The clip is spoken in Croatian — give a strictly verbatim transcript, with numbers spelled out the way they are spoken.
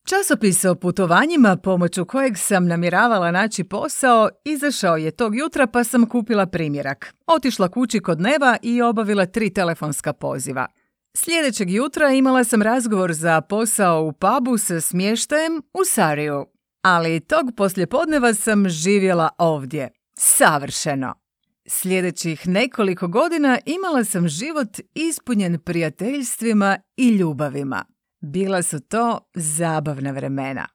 Časopis o putovanjima pomoću kojeg sam namjeravala naći posao izašao je tog jutra pa sam kupila primjerak. Otišla kući kod Neva i obavila tri telefonska poziva. Sljedećeg jutra imala sam razgovor za posao u pubu sa smještajem u Sariju. Ali tog poslijepodneva sam živjela ovdje. Savršeno! Sljedećih nekoliko godina imala sam život ispunjen prijateljstvima i ljubavima. Bila su to zabavna vremena.